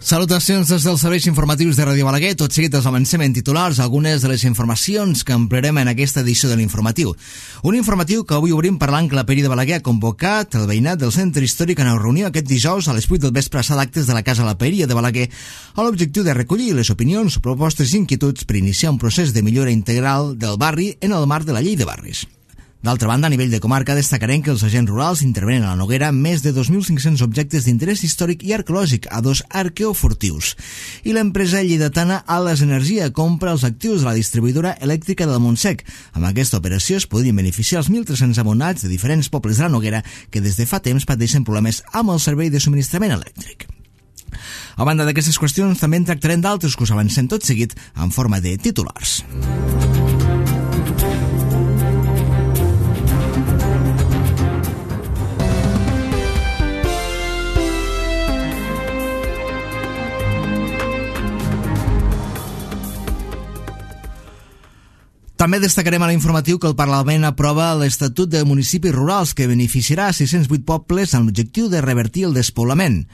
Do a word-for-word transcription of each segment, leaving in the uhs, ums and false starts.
Salutacions des dels serveis informatius de Ràdio Balaguer. Tot seguit els avancem en titulars algunes de les informacions que emplearem en aquesta edició de l'informatiu. Un informatiu que avui obrim parlant que la Peri de Balaguer ha convocat el veïnat del centre històric a una reunió aquest dijous a les vuit del vespre a sala d'actes de la Casa La Paeria de Balaguer amb l'objectiu de recollir les opinions, propostes i inquietuds per iniciar un procés de millora integral del barri en el marc de la llei de barris. D'altra banda, a nivell de comarca, destacarem que els agents rurals intervenen a la Noguera més de dos mil cinc-cents objectes d'interès històric i arqueològic a dos arqueofurtius. I l'empresa lleidatana Ales Energia compra els actius de la distribuïdora elèctrica del Montsec. Amb aquesta operació es podrien beneficiar els mil tres-cents abonats de diferents pobles de la Noguera que des de fa temps pateixen problemes amb el servei de subministrament elèctric. A banda d'aquestes qüestions, també en tractarem d'altres que us avancem tot seguit en forma de titulars. També destacarem a l'informatiu que el Parlament aprova l'Estatut de Municipis Rurals que beneficiarà sis-cents vuit pobles amb l'objectiu de revertir el despoblament.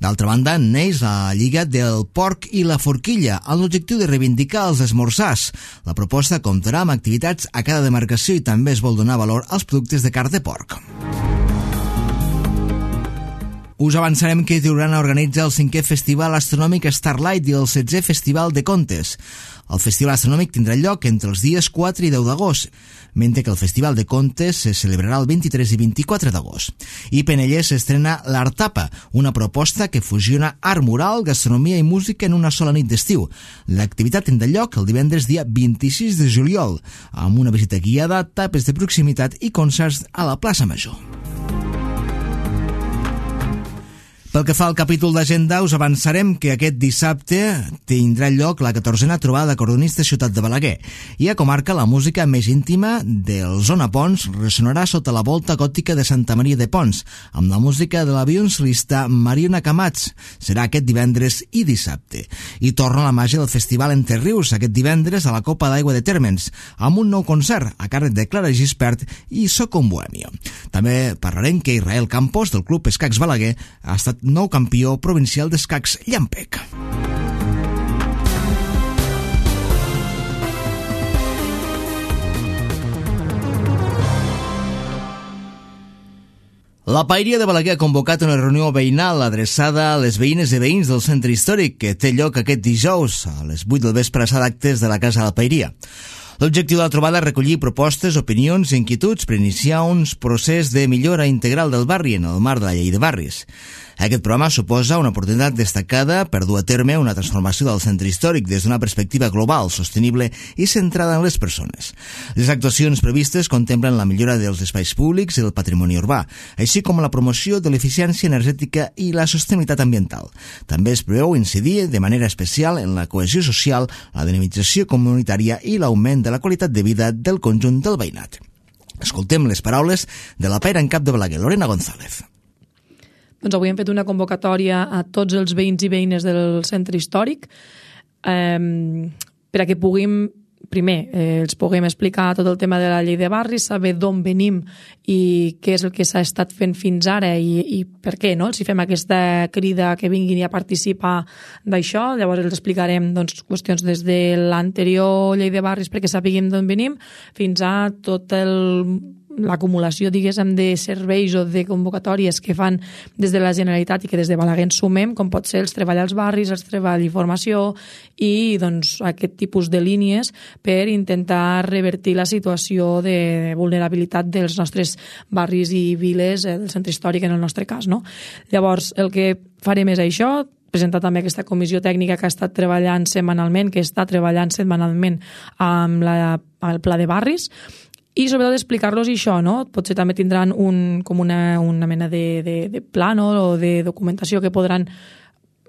D'altra banda, neix la Lliga del Porc i la Forquilla amb l'objectiu de reivindicar els esmorzars. La proposta comptarà amb activitats a cada demarcació i també es vol donar valor als productes de carn de porc. Us avançarem que Tiurana organitza el cinquè Festival Astronòmic Starlight i el setzè Festival de Contes. El Festival Astronòmic tindrà lloc entre els dies quatre i deu d'agost, mentre que el Festival de Contes se celebrarà el vint-i-tres i vint-i-quatre d'agost. I Penellès s'estrena l'Artapa, una proposta que fusiona art mural, gastronomia i música en una sola nit d'estiu. L'activitat tindrà lloc el divendres dia vint-i-sis de juliol, amb una visita guiada, tapes de proximitat i concerts a la plaça Major. Pel que fa al capítol d'agenda, us avançarem que aquest dissabte tindrà lloc la catorzena trobada d'acordonistes Ciutat de Balaguer i a comarca la música més íntima del Zona Pons ressonarà sota la volta gòtica de Santa Maria de Pons amb la música de la violoncel·lista Mariona Camats. Serà aquest divendres i dissabte. I torna la màgia del Festival Entre Rius aquest divendres a la Copa d'Aigua de Térmens amb un nou concert a càrrec de Clara Gispert i Soco en Bohèmia. També parlarem que Israel Campos del Club Escacs Balaguer ha estat nou campió provincial d'escacs Llampec. La Paeria de Balaguer ha convocat una reunió veïnal adreçada a les veïnes i veïns del centre històric que té lloc aquest dijous a les vuit del vespre a sala d'actes de la Casa de la Paeria. L'objectiu de la trobada és recollir propostes, opinions i inquietuds per iniciar un procés de millora integral del barri en el marc de la llei de barris. Aquest programa suposa una oportunitat destacada per dur a terme una transformació del centre històric des d'una perspectiva global, sostenible i centrada en les persones. Les actuacions previstes contemplen la millora dels espais públics i del patrimoni urbà, així com la promoció de l'eficiència energètica i la sostenibilitat ambiental. També es preveu incidir de manera especial en la cohesió social, la dinamització comunitària i l'augment de la qualitat de vida del conjunt del veïnat. Escoltem les paraules de la paira en cap de Balaguer, Lorena González. Doncs avui hem fet una convocatòria a tots els veïns i veïnes del centre històric eh, per a que puguem, primer, eh, els puguem explicar tot el tema de la llei de barris, saber d'on venim i què és el que s'ha estat fent fins ara i, i per què, no? Si fem aquesta crida que vinguin a participar d'això, llavors els explicarem doncs, qüestions des de l'anterior llei de barris perquè sapiguem d'on venim fins a tot el l'acumulació, diguéssim, de serveis o de convocatòries que fan des de la Generalitat i que des de Balaguer ens sumem, com pot ser els treball als barris, els treball i formació i doncs, aquest tipus de línies per intentar revertir la situació de vulnerabilitat dels nostres barris i viles del centre històric en el nostre cas, no? Llavors, el que farem és això, presentar també aquesta comissió tècnica que ha estat treballant setmanalment, que està treballant setmanalment amb la, el pla de barris, i sobretot explicar-los això, no? Potser també tindran un, com una, una mena de, de, de plano o de documentació que podran,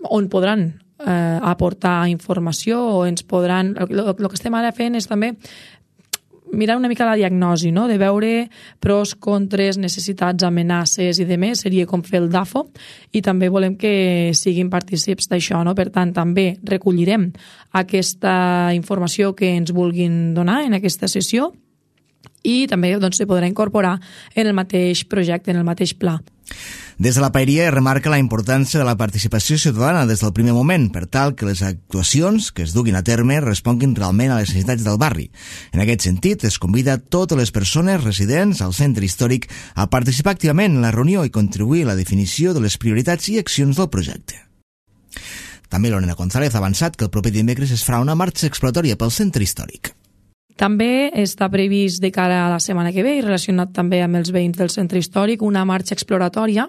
on podran eh, aportar informació o ens podran... El, el que estem ara fent és també mirar una mica la diagnosi, no? De veure pros, contres, necessitats, amenaces i demés, seria com fer el DAFO, i també volem que siguin partícips d'això, no? Per tant, també recollirem aquesta informació que ens vulguin donar en aquesta sessió i també doncs, se podrà incorporar en el mateix projecte, en el mateix pla. Des de la paeria es remarca la importància de la participació ciutadana des del primer moment, per tal que les actuacions que es duguin a terme responguin realment a les necessitats del barri. En aquest sentit, es convida totes les persones residents al centre històric a participar activament en la reunió i contribuir a la definició de les prioritats i accions del projecte. També Lorena González ha avançat que el proper dimecres es farà una marxa exploratòria pel centre històric. També està previst de cara a la setmana que ve i relacionat també amb els veïns del centre històric una marxa exploratòria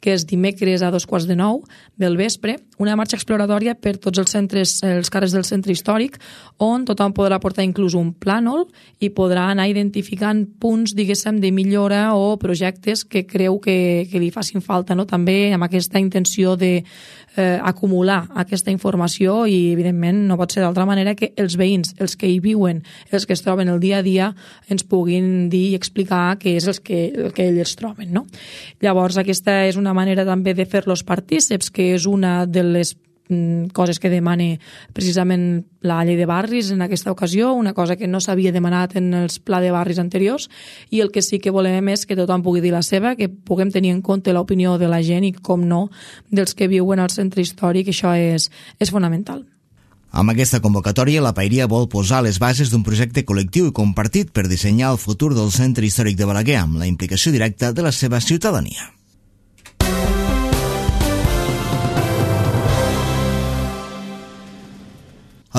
que és dimecres a dos quarts de nou del vespre, una marxa exploratòria per tots els centres, els carrers del centre històric on tothom podrà portar inclús un plànol i podrà anar identificant punts, diguéssim, de millora o projectes que creu que, que li facin falta, no? També amb aquesta intenció de eh, acumular aquesta informació i evidentment no pot ser d'altra manera que els veïns, els que hi viuen, els que es troben el dia a dia ens puguin dir i explicar què és el que, el que ells troben, no? Llavors aquesta és una manera també de fer-los partíceps, que és una de les coses que demana precisament la llei de barris en aquesta ocasió, una cosa que no s'havia demanat en els pla de barris anteriors, i el que sí que volem és que tothom pugui dir la seva, que puguem tenir en compte l'opinió de la gent i, com no, dels que viuen al centre històric. Això és, és fonamental. Amb aquesta convocatòria, la paeria vol posar les bases d'un projecte col·lectiu i compartit per dissenyar el futur del centre històric de Balaguer amb la implicació directa de la seva ciutadania.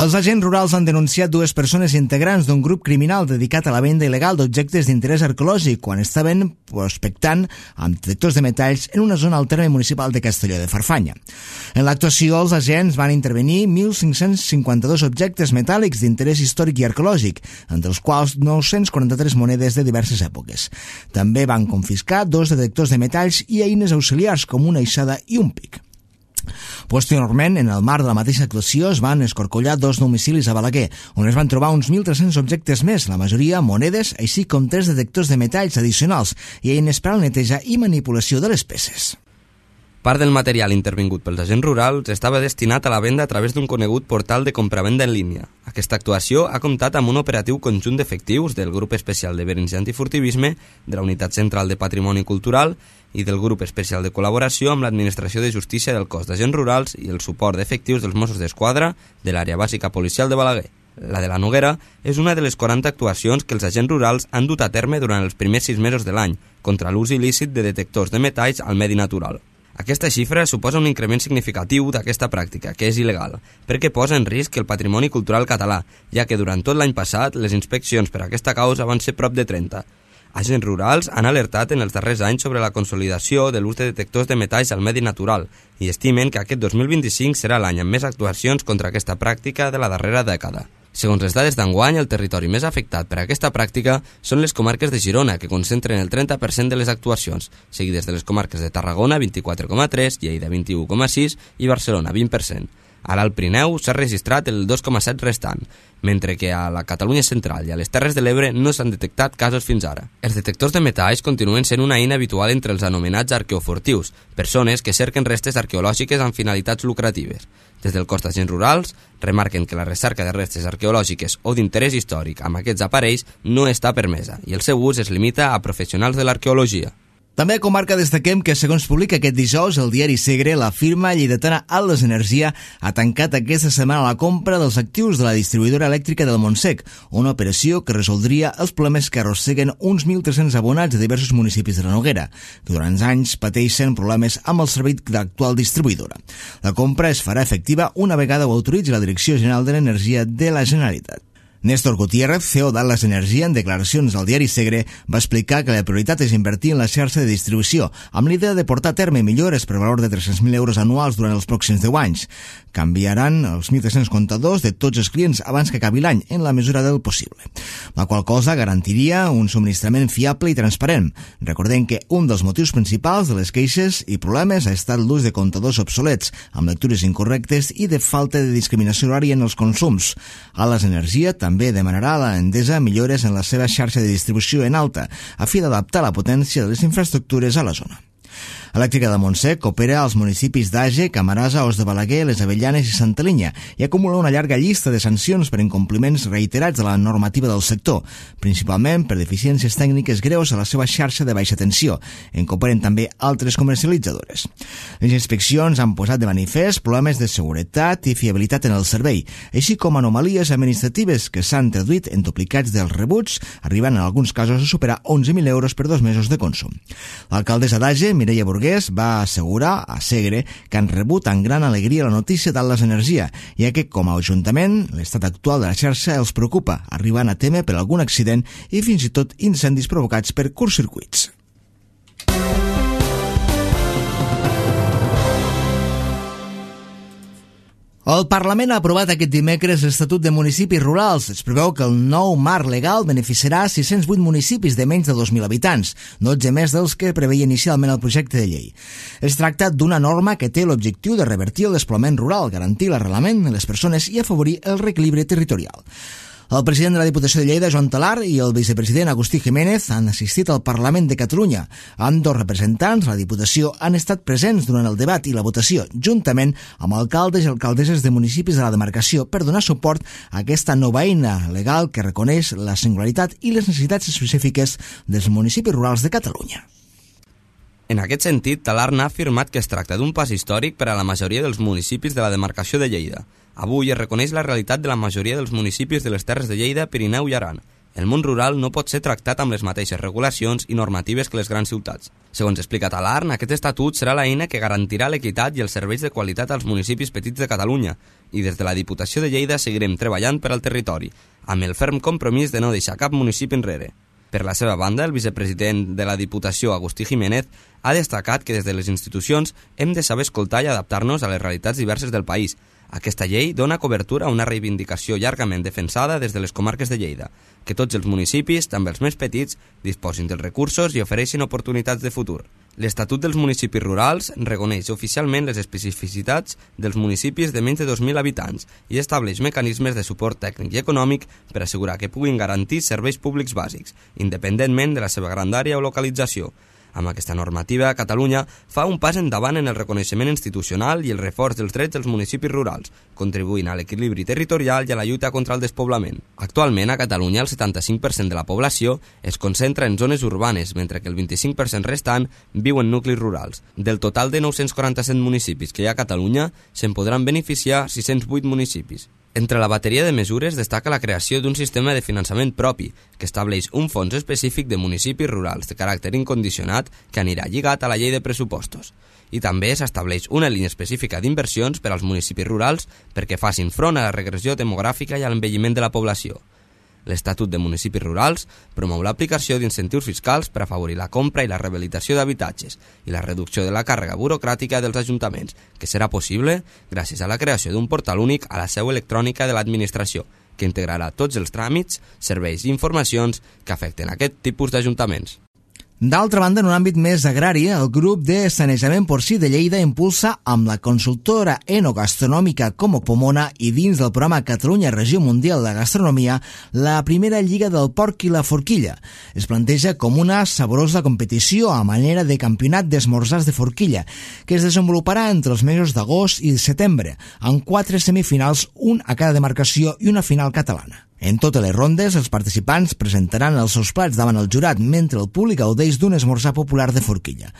Els agents rurals han denunciat dues persones integrants d'un grup criminal dedicat a la venda il·legal d'objectes d'interès arqueològic quan estaven prospectant amb detectors de metalls en una zona al terme municipal de Castelló de Farfanya. En l'actuació, els agents van intervenir mil cinc-cents cinquanta-dos objectes metàl·lics d'interès històric i arqueològic, entre els quals nou-cents quaranta-tres monedes de diverses èpoques. També van confiscar dos detectors de metalls i eines auxiliars com una aixada i un pic. Posteriorment, en el marc de la mateixa actuació, es van escorcollar dos domicilis a Balaguer, on es van trobar uns mil tres-cents objectes més, la majoria monedes, així com tres detectors de metalls addicionals i eines per a la neteja i manipulació de les peces. Part del material intervingut pels agents rurals estava destinat a la venda a través d'un conegut portal de compravenda en línia. Aquesta actuació ha comptat amb un operatiu conjunt d'efectius del Grup Especial de Veïns i Antifurtivisme, de la Unitat Central de Patrimoni Cultural i del Grup Especial de Col·laboració amb l'Administració de Justícia del Cos d'Agents Rurals i el suport d'efectius dels Mossos d'Esquadra de l'Àrea Bàsica Policial de Balaguer. La de la Noguera és una de les quaranta actuacions que els agents rurals han dut a terme durant els primers sis mesos de l'any contra l'ús il·lícit de detectors de metalls al medi natural. Aquesta xifra suposa un increment significatiu d'aquesta pràctica, que és il·legal, perquè posa en risc el patrimoni cultural català, ja que durant tot l'any passat les inspeccions per aquesta causa van ser prop de trenta. Agents rurals han alertat en els darrers anys sobre la consolidació de l'ús de detectors de metalls al medi natural i estimen que aquest dos mil vint-i-cinc serà l'any amb més actuacions contra aquesta pràctica de la darrera dècada. Segons les dades d'enguany, el territori més afectat per aquesta pràctica són les comarques de Girona, que concentren el trenta per cent de les actuacions, seguides de les comarques de Tarragona, vint-i-quatre coma tres, Lleida, vint-i-u coma sis i Barcelona, vint per cent. A l'Alt Pirineu s'ha registrat el dos coma set restant, mentre que a la Catalunya central i a les Terres de l'Ebre no s'han detectat casos fins ara. Els detectors de metalls continuen sent una eina habitual entre els anomenats arqueofurtius, persones que cerquen restes arqueològiques amb finalitats lucratives. Des del cos d'agents rurals remarquen que la recerca de restes arqueològiques o d'interès històric amb aquests aparells no està permesa i el seu ús es limita a professionals de l'arqueologia. També a comarca destaquem que, segons publica aquest dijous el diari Segre, la firma lleidatana Atlas Energia ha tancat aquesta setmana la compra dels actius de la distribuïdora elèctrica del Montsec, una operació que resoldria els problemes que arrosseguen uns mil tres-cents abonats de diversos municipis de la Noguera, que durant anys pateixen problemes amb el servei de l'actual distribuïdora. La compra es farà efectiva una vegada ho autoritzi la Direcció General de l'Energia de la Generalitat. Néstor Gutiérrez, C E O d'Atlas Energia, en declaracions al diari Segre, va explicar que la prioritat és invertir en la xarxa de distribució, amb l'idea de portar a terme millores per valor de tres-cents mil euros anuals durant els pròxims deu anys. Canviaran els mil tres-cents comptadors de tots els clients abans que acabi l'any, en la mesura del possible. La qual cosa garantiria un subministrament fiable i transparent. Recordem que un dels motius principals de les queixes i problemes ha estat l'ús de comptadors obsolets, amb lectures incorrectes i de falta de discriminació horària en els consums. Atlas Energia també També demanarà a la Endesa millores en la seva xarxa de distribució en alta, a fi d'adaptar la potència de les infraestructures a la zona. Elèctrica de Montsec opera als municipis d'Age, Camarasa, Os de Balaguer, Les Avellanes i Santa Linya i acumula una llarga llista de sancions per incompliments reiterats de la normativa del sector, principalment per deficiències tècniques greus a la seva xarxa de baixa tensió, en què operen també altres comercialitzadores. Les inspeccions han posat de manifest problemes de seguretat i fiabilitat en el servei, així com anomalies administratives que s'han traduït en duplicats dels rebuts, arribant en alguns casos a superar onze mil euros per dos mesos de consum. L'alcaldessa d'Age, Mireia Burgués, va assegurar a Segre que han rebut amb gran alegria la notícia d'Atlas Energia, ja que, com a ajuntament, l'estat actual de la xarxa els preocupa, arribant a témer per algun accident i fins i tot incendis provocats per curtcircuits. El Parlament ha aprovat aquest dimecres l'Estatut de Municipis Rurals. Es preveu que el nou marc legal beneficiarà sis-cents vuit municipis de menys de dos mil habitants, dotze més dels que preveia inicialment el projecte de llei. Es tracta d'una norma que té l'objectiu de revertir el despoblament rural, garantir l'arrelament de les persones i afavorir el reequilibri territorial. El president de la Diputació de Lleida, Joan Talar, i el vicepresident Agustí Jiménez han assistit al Parlament de Catalunya. Ambdós representants, la Diputació, han estat presents durant el debat i la votació, juntament amb alcaldes i alcaldesses de municipis de la demarcació, per donar suport a aquesta nova eina legal que reconeix la singularitat i les necessitats específiques dels municipis rurals de Catalunya. En aquest sentit, Talar n'ha afirmat que es tracta d'un pas històric per a la majoria dels municipis de la demarcació de Lleida. Avui es reconeix la realitat de la majoria dels municipis de les Terres de Lleida, Pirineu i Aran. El món rural no pot ser tractat amb les mateixes regulacions i normatives que les grans ciutats. Segons explica Talar, aquest estatut serà l'eina que garantirà l'equitat i els serveis de qualitat als municipis petits de Catalunya i des de la Diputació de Lleida seguirem treballant per al territori, amb el ferm compromís de no deixar cap municipi enrere. Per la seva banda, el vicepresident de la Diputació, Agustí Jiménez, ha destacat que des de les institucions hem de saber escoltar i adaptar-nos a les realitats diverses del país. Aquesta llei dona cobertura a una reivindicació llargament defensada des de les comarques de Lleida, que tots els municipis, també els més petits, disposin dels recursos i ofereixin oportunitats de futur. L'Estatut dels Municipis Rurals reconeix oficialment les especificitats dels municipis de menys de dos mil habitants i estableix mecanismes de suport tècnic i econòmic per assegurar que puguin garantir serveis públics bàsics, independentment de la seva grandària o localització. Amb aquesta normativa, Catalunya fa un pas endavant en el reconeixement institucional i el reforç dels drets dels municipis rurals, contribuint a l'equilibri territorial i a la lluita contra el despoblament. Actualment, a Catalunya, el setanta-cinc per cent de la població es concentra en zones urbanes, mentre que el vint-i-cinc per cent restant viu en nuclis rurals. Del total de nou-cents quaranta-set municipis que hi ha a Catalunya, se'n podran beneficiar sis-cents vuit municipis. Entre la bateria de mesures destaca la creació d'un sistema de finançament propi que estableix un fons específic de municipis rurals de caràcter incondicionat que anirà lligat a la llei de pressupostos. I també s'estableix una línia específica d'inversions per als municipis rurals perquè facin front a la regressió demogràfica i a l'envelliment de la població. L'Estatut de Municipis Rurals promou l'aplicació d'incentius fiscals per afavorir la compra i la rehabilitació d'habitatges i la reducció de la càrrega burocràtica dels ajuntaments, que serà possible gràcies a la creació d'un portal únic a la seu electrònica de l'administració, que integrarà tots els tràmits, serveis i informacions que afecten aquest tipus d'ajuntaments. D'altra banda, en un àmbit més agrari, el grup de sanejament porcí de Lleida impulsa amb la consultora enogastronòmica Como Pomona i dins del programa Catalunya Regió Mundial de Gastronomia la primera Lliga del Porc i la Forquilla. Es planteja com una saborosa competició a manera de campionat d'esmorzars de forquilla que es desenvoluparà entre els mesos d'agost i setembre, amb quatre semifinals, un a cada demarcació i una final catalana. En totes les rondes, els participants presentaran els seus plats davant el jurat, mentre el públic gaudeix d'un esmorzar popular de forquilla.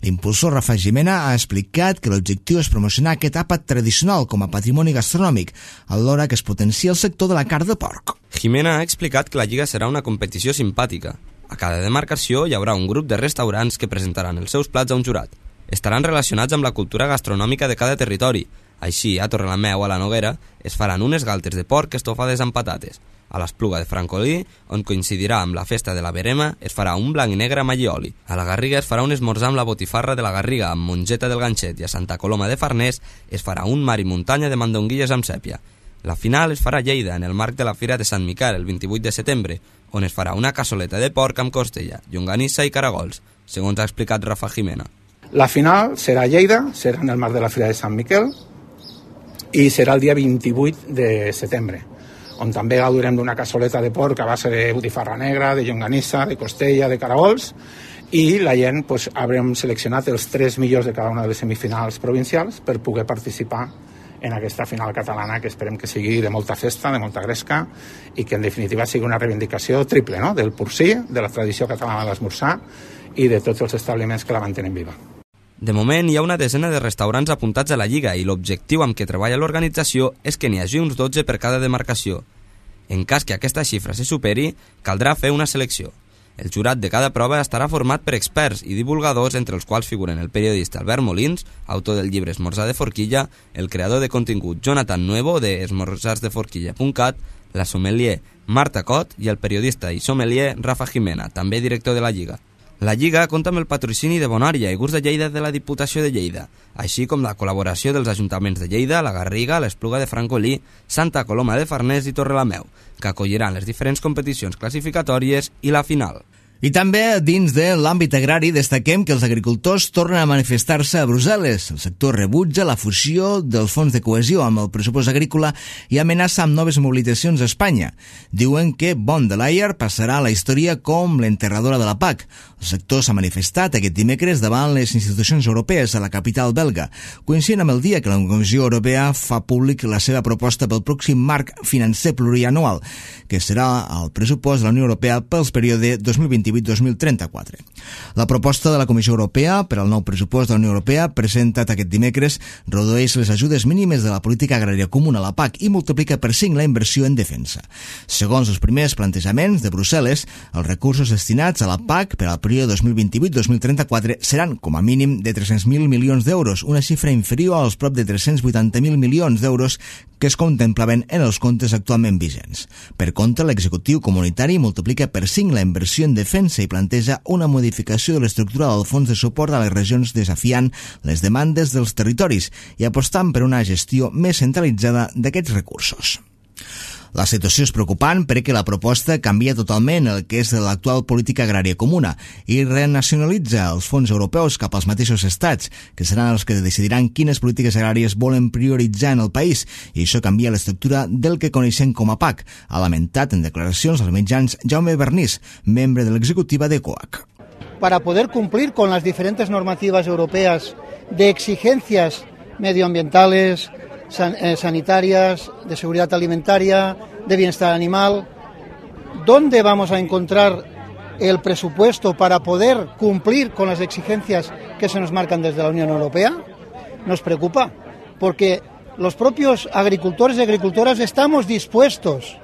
L'impulsor Rafa Jimena ha explicat que l'objectiu és promocionar aquest àpat tradicional com a patrimoni gastronòmic, alhora que es potencia el sector de la carn de porc. Jimena ha explicat que la Lliga serà una competició simpàtica. A cada demarcació hi haurà un grup de restaurants que presentaran els seus plats a un jurat. Estaran relacionats amb la cultura gastronòmica de cada territori. Així, a Torrelameu, a la Noguera, es faran unes galtes de porc estofades amb patates. A l'Espluga de Francolí, on coincidirà amb la festa de la Verema, es farà un blanc i negre amb allioli. A la Garriga es farà un esmorzar amb la botifarra de la Garriga amb mongeta del ganxet i a Santa Coloma de Farners es farà un mar i muntanya de mandonguilles amb sèpia. La final es farà a Lleida, en el marc de la Fira de Sant Miquel, el vint-i-vuit de setembre, on es farà una cassoleta de porc amb costella, llonganissa i caragols, segons ha explicat Rafa Jimena. La final serà a Lleida, serà en el marc de la Fira de Sant Miquel i serà el dia vint-i-vuit de setembre, on també gaudirem d'una cassoleta de porc a base de botifarra negra, de llonganissa, de costella, de caragols, i la gent pues, haurem seleccionat els tres millors de cada una de les semifinals provincials per poder participar en aquesta final catalana, que esperem que sigui de molta festa, de molta gresca, i que en definitiva sigui una reivindicació triple, no? Del porcí, de la tradició catalana de l'esmorzar i de tots els establiments que la mantenen viva. De moment hi ha una desena de restaurants apuntats a la Lliga i l'objectiu amb què treballa l'organització és que n'hi hagi uns dotze per cada demarcació. En cas que aquesta xifra se superi, caldrà fer una selecció. El jurat de cada prova estarà format per experts i divulgadors, entre els quals figuren el periodista Albert Molins, autor del llibre Esmorzar de Forquilla, el creador de contingut Jonathan Nuevo de esmorzars de forquilla punt cat, la sommelier Marta Cot i el periodista i sommelier Rafa Jimena, també director de la Lliga. La Lliga compta amb el patrocini de Bonària i Gust de Lleida de la Diputació de Lleida, així com la col·laboració dels ajuntaments de Lleida, la Garriga, l'Espluga de Francolí, Santa Coloma de Farners i Torrelameu, que acolliran les diferents competicions classificatòries i la final. I també dins de l'àmbit agrari destaquem que els agricultors tornen a manifestar-se a Brussel·les. El sector rebutja la fusió dels fons de cohesió amb el pressupost agrícola i amenaça amb noves mobilitzacions a Espanya. Diuen que von der Leyen passarà a la història com l'enterradora de la P A C. El sector s'ha manifestat aquest dimecres davant les institucions europees a la capital belga, coincidint amb el dia que la Comissió Europea fa públic la seva proposta pel pròxim marc financer plurianual, que serà el pressupost de la Unió Europea pels període dos mil vint-i-vuit dos mil trenta-quatre. La proposta de la Comissió Europea per al nou pressupost de la Unió Europea, presentat aquest dimecres, redueix les ajudes mínimes de la política agrària comuna a la P A C i multiplica per cinc la inversió en defensa. Segons els primers plantejaments de Brussel·les, els recursos destinats a la P A C per al període dos mil vint-i-vuit dos mil trenta-quatre seran com a mínim de tres-cents mil milions d'euros, una xifra inferior als prop de tres-cents vuitanta mil milions d'euros que es contemplaven en els comptes actualment vigents. Per contra, l'executiu comunitari multiplica per cinc la inversió en defensa i planteja una modificació de l'estructura del fons de suport a les regions desafiant les demandes dels territoris i apostant per una gestió més centralitzada d'aquests recursos. La situació és preocupant perquè la proposta canvia totalment el que és l'actual política agrària comuna i renacionalitza els fons europeus cap als mateixos estats, que seran els que decidiran quines polítiques agràries volen prioritzar en el país, i això canvia l'estructura del que coneixem com a P A C, ha lamentat en declaracions als mitjans Jaume Bernís, membre de l'executiva de COAC. Para poder cumplir con las diferentes normativas europeas de exigencias medioambientales, San, eh, sanitarias, de seguridad alimentaria, de bienestar animal. ¿Dónde vamos a encontrar el presupuesto para poder cumplir con las exigencias que se nos marcan desde la Unión Europea? Nos preocupa, porque los propios agricultores y agricultoras estamos dispuestos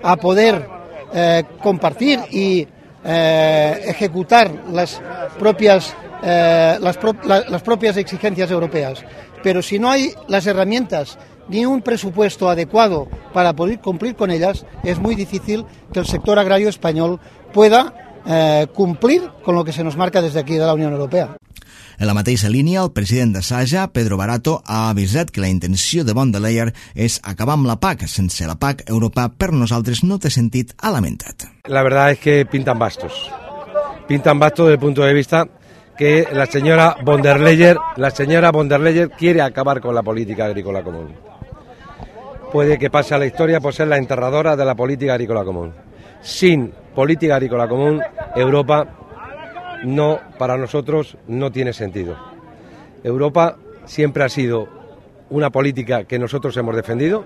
a poder eh, compartir y eh, ejecutar las propias, eh, las, pro, la, las propias exigencias europeas. Pero si no hay las herramientas ni un presupuesto adecuado para poder cumplir con ellas, es muy difícil que el sector agrario español pueda eh, cumplir con lo que se nos marca desde aquí de la Unión Europea. En la mateixa línia, el president de Saja, Pedro Barato, ha avisat que la intenció de von der Leyen és acabar amb la P A C. Sense la P A C, Europa per nosaltres no té sentit, ha lamentat. La verdad es que pintan bastos. Pintan bastos desde el punto de vista que la señora von der Leyen, la señora von der Leyen quiere acabar con la política agrícola común. Puede que pase a la historia por ser la enterradora de la política agrícola común. Sin política agrícola común, Europa no, para nosotros no tiene sentido. Europa siempre ha sido una política que nosotros hemos defendido.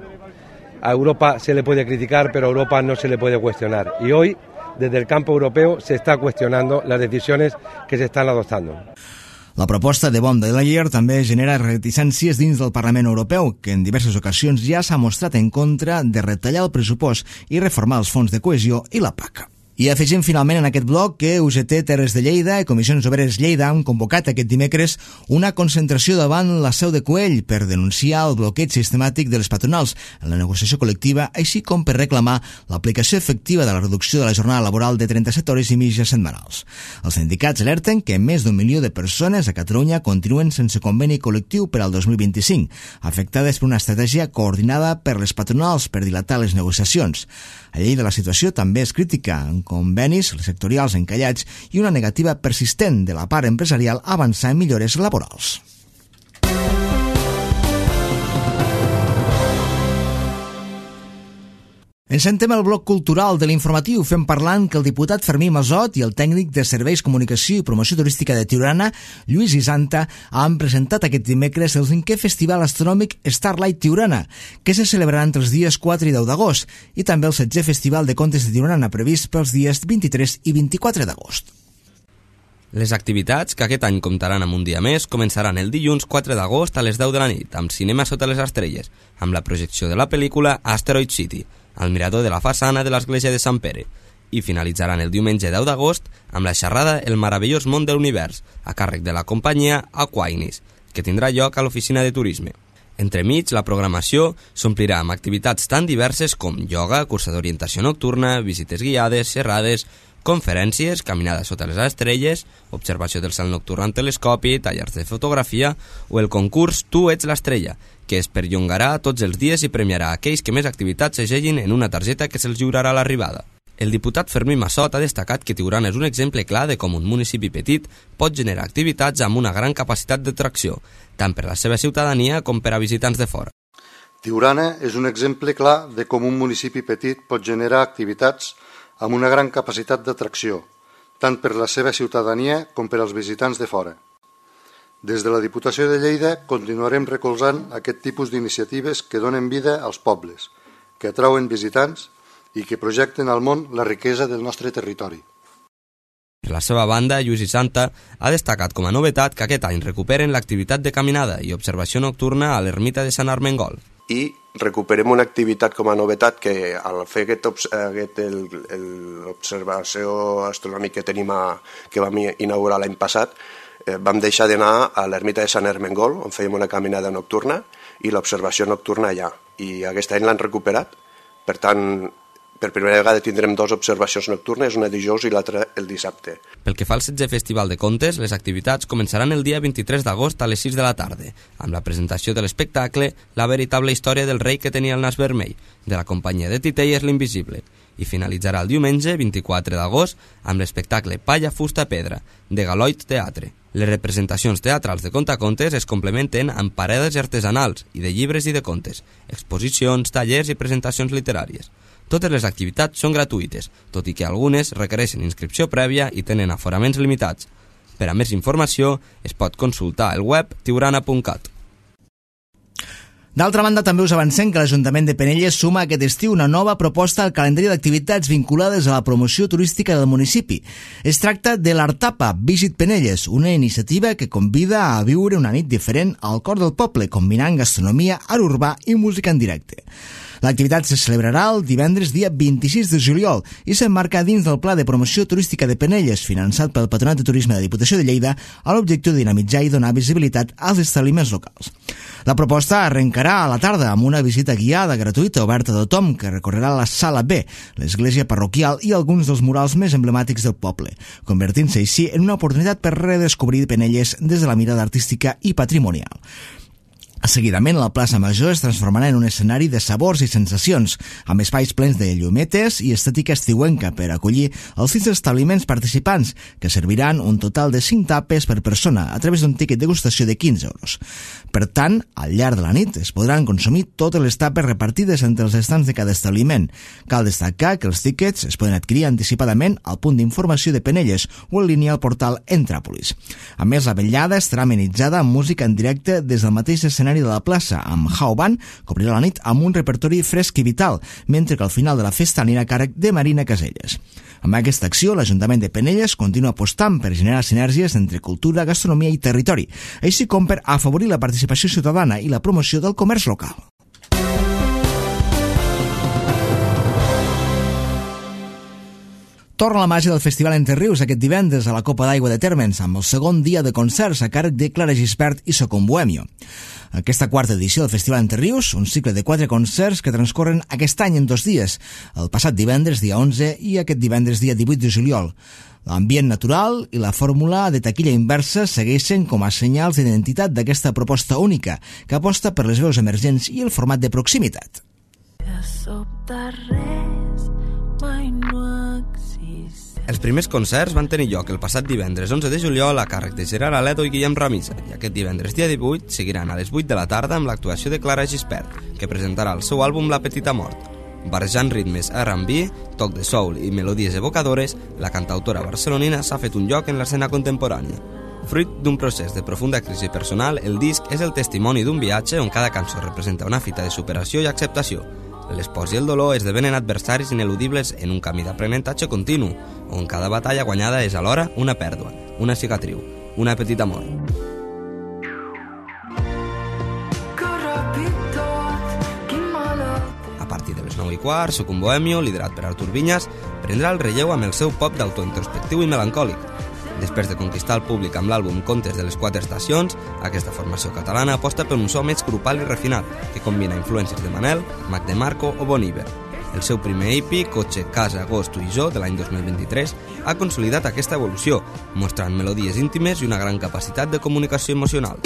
A Europa se le puede criticar, pero a Europa no se le puede cuestionar. Y hoy, desde el campo europeo, se está cuestionando las decisiones que se están adoptando. La proposta de von der Leyen també genera reticències dins del Parlament Europeu, que en diverses ocasions ja s'ha mostrat en contra de retallar el pressupost i reformar els fons de cohesió i la P A C. I afegim finalment en aquest bloc que U G T Terres de Lleida i Comissions Obreres Lleida han convocat aquest dimecres una concentració davant la seu de Coell per denunciar el bloqueig sistemàtic de les patronals en la negociació col·lectiva, així com per reclamar l'aplicació efectiva de la reducció de la jornada laboral de trenta-set hores i mitja setmanals. Els sindicats alerten que més d'un milió de persones a Catalunya continuen sense conveni col·lectiu per al dos mil vint-i-cinc, afectades per una estratègia coordinada per les patronals per dilatar les negociacions. A Lleida la situació també és crítica, en convenis sectorials encallats i una negativa persistent de la part empresarial a avançar en millores laborals. Encentem el bloc cultural de l'informatiu fent parlant que el diputat Fermí Masot i el tècnic de Serveis, Comunicació i Promoció Turística de Tiurana, Lluís Isanta, han presentat aquest dimecres el cinquè Festival Astronòmic Starlight Tiurana, que se celebrarà entre els dies quatre i deu d'agost, i també el setzè Festival de Contes de Tiurana previst pels dies vint-i-tres i vint-i-quatre d'agost. Les activitats, que aquest any comptaran amb un dia més, començaran el dilluns quatre d'agost a les deu de la nit, amb cinema sota les estrelles, amb la projecció de la pel·lícula Asteroid City, al mirador de la façana de l'església de Sant Pere, i finalitzaran el diumenge deu d'agost amb la xerrada El meravellós món de l'univers, a càrrec de la companyia Aquinas, que tindrà lloc a l'oficina de turisme. Entremig, la programació s'omplirà amb activitats tan diverses com ioga, cursa d'orientació nocturna, visites guiades, xerrades, conferències, caminada sota les estrelles, observació del cel nocturn amb telescopi, tallers de fotografia o el concurs Tu ets l'estrella, que es perllongarà tots els dies i premiarà aquells que més activitats s'ageguin en una targeta que se'ls lliurarà a l'arribada. El diputat Fermí Masot ha destacat que Tiurana és un exemple clar de com un municipi petit pot generar activitats amb una gran capacitat d'atracció, tant per la seva ciutadania com per a visitants de fora. Tiurana és un exemple clar de com un municipi petit pot generar activitats amb una gran capacitat d'atracció, tant per la seva ciutadania com per als visitants de fora. Des de la Diputació de Lleida continuarem recolzant aquest tipus d'iniciatives que donen vida als pobles, que atrauen visitants i que projecten al món la riquesa del nostre territori. Per la seva banda, Lluís Isanta ha destacat com a novetat que aquest any recuperen l'activitat de caminada i observació nocturna a l'ermita de Sant Armengol. I recuperem una activitat com a novetat que al fer aquest, aquest l'observació astronòmica que tenim a, que vam inaugurar l'any passat, eh, vam deixar d'anar a l'ermita de Sant Ermengol, on fèiem una caminada nocturna, i l'observació nocturna allà. I aquest any l'han recuperat, per tant, per primera vegada tindrem dues observacions nocturnes, una dijous i l'altra el dissabte. Pel que fa al setzè Festival de Contes, les activitats començaran el dia vint-i-tres d'agost a les sis de la tarda, amb la presentació de l'espectacle La veritable història del rei que tenia el nas vermell, de la companyia de titelles L'Invisible, i finalitzarà el diumenge vint-i-quatre d'agost amb l'espectacle Palla, fusta, pedra, de Galoit Teatre. Les representacions teatrals de contacontes es complementen amb parades artesanals i de llibres i de contes, exposicions, tallers i presentacions literàries. Totes les activitats són gratuïtes, tot i que algunes requereixen inscripció prèvia i tenen aforaments limitats. Per a més informació, es pot consultar el web tiurana punt cat. D'altra banda, també us avancem que l'Ajuntament de Penelles suma aquest estiu una nova proposta al calendari d'activitats vinculades a la promoció turística del municipi. Es tracta de l'Artapa Visit Penelles, una iniciativa que convida a viure una nit diferent al cor del poble, combinant gastronomia, art urbà i música en directe. L'activitat se celebrarà el divendres dia vint-i-sis de juliol i s'emmarca dins del Pla de Promoció Turística de Penelles, finançat pel Patronat de Turisme de la Diputació de Lleida, a l'objectiu de dinamitzar i donar visibilitat als establiments locals. La proposta arrencarà a la tarda amb una visita guiada gratuïta oberta a tothom que recorrerà la Sala B, l'església parroquial i alguns dels murals més emblemàtics del poble, convertint-se així en una oportunitat per redescobrir Penelles des de la mirada artística i patrimonial. Seguidament, la plaça Major es transformarà en un escenari de sabors i sensacions, amb espais plens de llumetes i estètica estiuenca per acollir els sis establiments participants, que serviran un total de cinc tapes per persona a través d'un tiquet de degustació de quinze euros. Per tant, al llarg de la nit es podran consumir totes les tapes repartides entre els estants de cada establiment. Cal destacar que els tíquets es poden adquirir anticipadament al punt d'informació de Penelles o en línia al portal Entràpolis. A més, la vetllada estarà amenitzada amb música en directe des del mateix escenari de la plaça, amb How Band, que obrirà la nit amb un repertori fresc i vital, mentre que al final de la festa anirà a càrrec de Marina Caselles. Amb aquesta acció, l'Ajuntament de Penelles continua apostant per generar sinergies entre cultura, gastronomia i territori, així com per afavorir la participació ciutadana i la promoció del comerç local. Torna la màgia del Festival Entre Rius aquest divendres a la Copa d'Aigua de Térmens, amb el segon dia de concerts a càrrec de Clara Gispert i Socom Bohemio. Aquesta quarta edició del Festival Entre Rius, un cicle de quatre concerts que transcorren aquest any en dos dies, el passat divendres dia onze i aquest divendres dia divuit de juliol. L'ambient natural i la fórmula de taquilla inversa segueixen com a senyals d'identitat d'aquesta proposta única, que aposta per les veus emergents i el format de proximitat. Els primers concerts van tenir lloc el passat divendres onze de juliol a càrrec de Gerard Aledo i Guillem Ramisa, i aquest divendres dia divuit seguiran a les vuit de la tarda amb l'actuació de Clara Gispert, que presentarà el seu àlbum La Petita Mort. Barrejant ritmes R and B, toc de soul i melodies evocadores, la cantautora barcelonina s'ha fet un lloc en l'escena contemporània. Fruit d'un procés de profunda crisi personal, el disc és el testimoni d'un viatge on cada cançó representa una fita de superació i acceptació. L'espòs i el dolor esdevenen adversaris ineludibles en un camí d'aprenentatge continu, on cada batalla guanyada és alhora una pèrdua, una cicatriu, una petita mort. A partir de les nou i quart, Soc un bohemio, liderat per Artur Vinyas, prendrà el relleu amb el seu pop d'autointrospectiu i melancòlic. Després de conquistar el públic amb l'àlbum Contes de les quatre estacions, aquesta formació catalana aposta per un so més grupal i refinat, que combina influències de Manel, Mac DeMarco o Bon Iver. El seu primer E P, Cotxe, Casa, Agosto i Jo, de l'any dos mil vint-i-tres, ha consolidat aquesta evolució, mostrant melodies íntimes i una gran capacitat de comunicació emocional.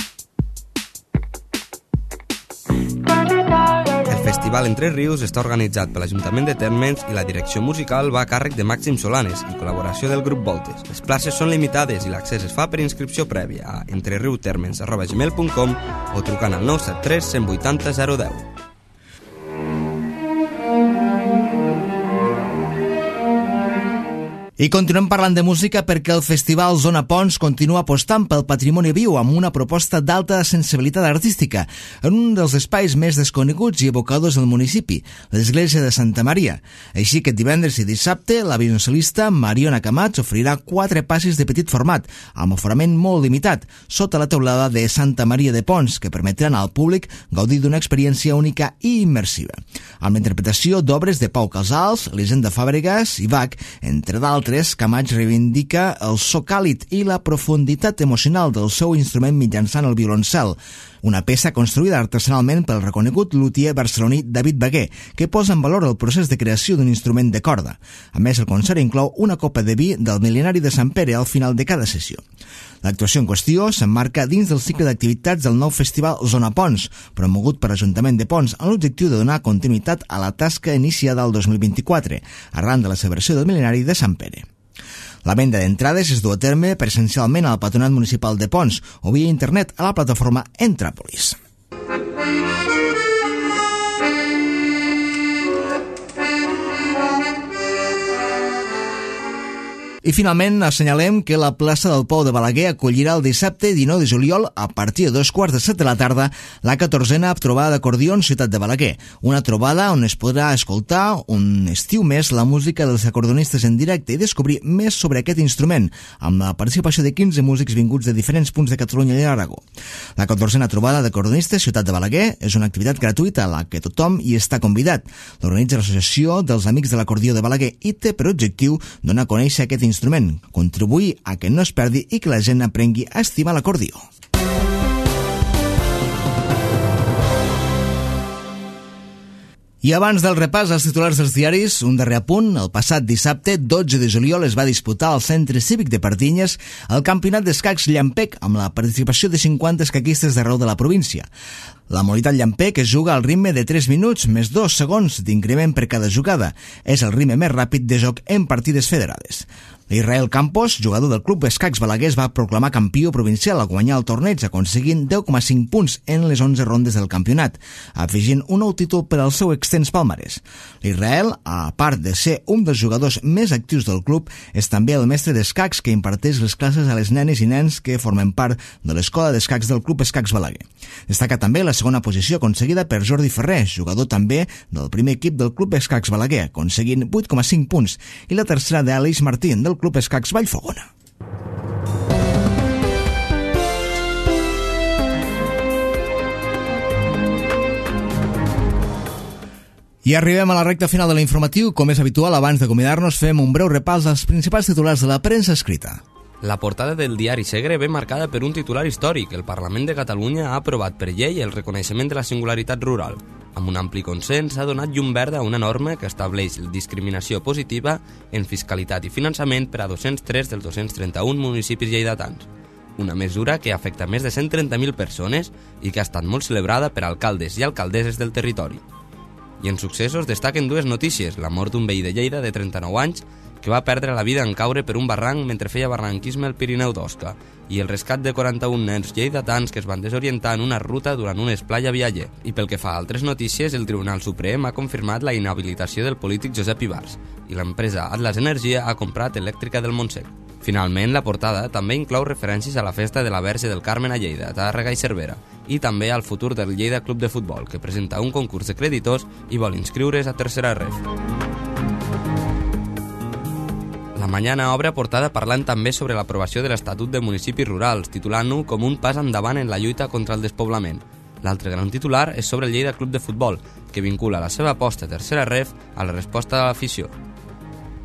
El Festival Entre Rius està organitzat per l'Ajuntament de Térmens i la direcció musical va a càrrec de Màxim Solanes i col·laboració del grup Voltes. Les places són limitades i l'accés es fa per inscripció prèvia a entreriutermens arroba gmail punt com o trucant al nou set tres cent vuitanta zero deu. I continuem parlant de música perquè el Festival Zona Pons continua apostant pel patrimoni viu amb una proposta d'alta sensibilitat artística en un dels espais més desconeguts i evocadors del municipi, l'església de Santa Maria. Així que divendres i dissabte la violoncel·lista Mariona Camats ofrirà quatre passis de petit format, amb aforament molt limitat, sota la teulada de Santa Maria de Pons, que permetran al públic gaudir d'una experiència única i immersiva. Amb la interpretació d'obres de Pau Casals, Elisenda Fàbregas i Bach, entre d'altres, Camats reivindica el so càlid i la profunditat emocional del seu instrument mitjançant el violoncel, una peça construïda artesanalment pel reconegut luthier barceloní David Baguer, que posa en valor el procés de creació d'un instrument de corda. A més, el concert inclou una copa de vi del mil·lenari de Sant Pere al final de cada sessió. L'actuació en qüestió s'emmarca dins del cicle d'activitats del nou festival Zona Pons, promogut per l'Ajuntament de Pons amb l'objectiu de donar continuïtat a la tasca iniciada el dos mil vint-i-quatre, arran de la celebració del mil·lenari de Sant Pere. La venda d'entrades es du a terme presencialment al Patronat Municipal de Pons o via internet a la plataforma Entràpolis. I finalment assenyalem que la plaça del Pou de Balaguer acollirà el dissabte dinou de juliol a partir de dos quarts de set de la tarda la catorzena trobada d'acordions Ciutat de Balaguer, una trobada on es podrà escoltar un estiu més la música dels acordionistes en directe i descobrir més sobre aquest instrument, amb la participació de quinze músics vinguts de diferents punts de Catalunya i Aragó. La catorzena trobada d'acordionistes Ciutat de Balaguer és una activitat gratuïta a la que tothom hi està convidat. L'organitza l'Associació dels Amics de l'Acordió de Balaguer i té per objectiu donar a conèixer aquest instrument, contribuir a que no es perdi i que la gent aprengui a estimar l'acordió. I abans del repàs als titulars dels diaris, un darrer apunt. El passat dissabte, dotze de juliol, es va disputar al Centre Cívic de Pardinyes el campionat d'escacs Llampec amb la participació de cinquanta escaquistes d'arreu de la província. La modalitat Llampec es juga al ritme de tres minuts més dos segons d'increment per cada jugada. És el ritme més ràpid de joc en partides federades. L'Israel Campos, jugador del Club Escacs Balaguer, es va proclamar campió provincial a guanyar el torneig, aconseguint deu coma cinc punts en les onze rondes del campionat, afegint un nou títol per al seu extens palmarès. L'Israel, a part de ser un dels jugadors més actius del club, és també el mestre d'escacs que imparteix les classes a les nenes i nens que formen part de l'escola d'escacs del Club Escacs Balaguer. Destaca també la segona posició aconseguida per Jordi Ferrer, jugador també del primer equip del Club Escacs Balaguer, aconseguint vuit coma cinc punts, i la tercera d'Aleix Martín, del Club Escacs Vallfogona. I arribem a la recta final de l'informatiu. Com és habitual, abans d'acomiadar-nos, fem un breu repàs als principals titulars de la premsa escrita. La portada del diari Segre ve marcada per un titular històric. El Parlament de Catalunya ha aprovat per llei el reconeixement de la singularitat rural. Amb un ampli consens s'ha donat llum verda a una norma que estableix la discriminació positiva en fiscalitat i finançament per a dos-cents tres dels dos-cents trenta-un municipis lleidatans. Una mesura que afecta més de cent trenta mil persones i que ha estat molt celebrada per alcaldes i alcaldesses del territori. I en successos destaquen dues notícies: la mort d'un veí de Lleida de trenta-nou anys que va perdre la vida en caure per un barranc mentre feia barranquisme al Pirineu d'Osca, i el rescat de quaranta-un nens lleidatans que es van desorientar en una ruta durant un esplai a Vialler. I pel que fa a altres notícies, el Tribunal Suprem ha confirmat la inhabilitació del polític Josep Ibars i l'empresa Atlas Energia ha comprat Elèctrica del Montsec. Finalment, la portada també inclou referències a la festa de la Verge del Carmen a Lleida, Tàrrega i Cervera, i també al futur del Lleida Club de Futbol, que presenta un concurs de creditors i vol inscriure's a Tercera Ref. La Mañana obre portada parlant també sobre l'aprovació de l'Estatut de Municipis Rurals, titulant-ho com un pas endavant en la lluita contra el despoblament. L'altre gran titular és sobre el Lleida Club de Futbol, que vincula la seva aposta a Tercera Ref a la resposta de l'afició.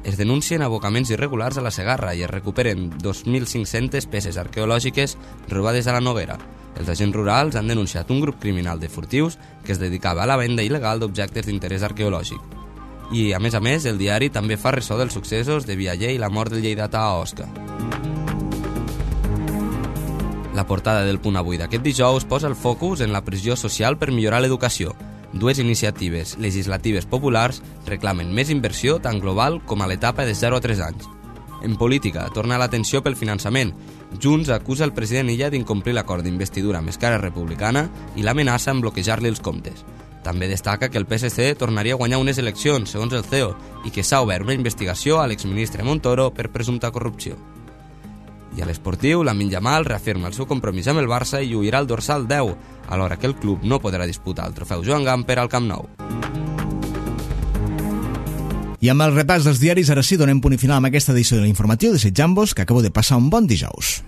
Es denuncien abocaments irregulars a la Segarra i es recuperen dos mil cinc-centes peces arqueològiques robades a la Noguera. Els agents rurals han denunciat un grup criminal de furtius que es dedicava a la venda il·legal d'objectes d'interès arqueològic. I, a més a més, el diari també fa ressò dels successos de Vialler i la mort del lleidatà a Osca. La portada del Punt Avui d'aquest dijous posa el focus en la pressió social per millorar l'educació. Dues iniciatives legislatives populars reclamen més inversió tant global com a l'etapa de zero a tres anys. En política, torna l'atenció pel finançament. Junts acusa el president Illa d'incomplir l'acord d'investidura amb Esquerra Republicana i l'amenaça en bloquejar-li els comptes. També destaca que el P S C tornaria a guanyar unes eleccions, segons el C E O, i que s'ha obert una investigació a l'exministre Montoro per presumpta corrupció. I a l'esportiu, Lamine Yamal reafirma el seu compromís amb el Barça i lluirà el dorsal deu, alhora que el club no podrà disputar el trofeu Joan Gamper al Camp Nou. I amb el repàs dels diaris, ara sí, donem punt i final amb aquesta edició de l'informatiu, desitjant-vos que acabeu de passar un bon dijous.